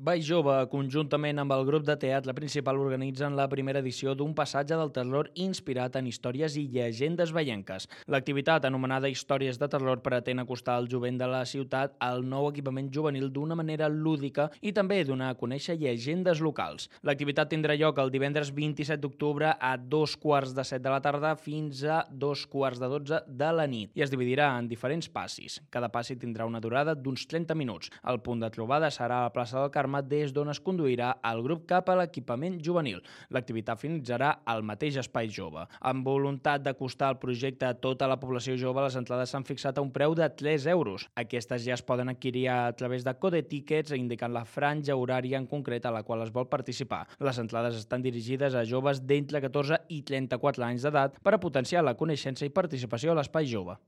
Baix Jove, conjuntament amb el grup de teatre principal, organitzen la primera edició d'un passatge del terror inspirat en històries i llegendes veienques. L'activitat, anomenada Històries de Terror, pretén acostar al jovent de la ciutat al nou equipament juvenil d'una manera lúdica i també donar a conèixer llegendes locals. L'activitat tindrà lloc el divendres 27 d'octubre a 2:15 de la tarda fins a 2:15 de la nit i es dividirà en diferents passis. Cada passi tindrà una durada d'uns 30 minuts. El punt de trobada serà a la plaça del Carme, des d'on es conduirà el grup cap a l'equipament juvenil. L'activitat finalitzarà al mateix espai jove. Amb voluntat d'acostar el projecte a tota la població jove, les entrades s'han fixat a un preu de 3 euros. Aquestes ja es poden adquirir a través de Code Tickets, indicant la franja horària en concret a la qual es vol participar. Les entrades estan dirigides a joves d'entre 14 i 34 anys d'edat per a potenciar la coneixença i participació a l'espai jove.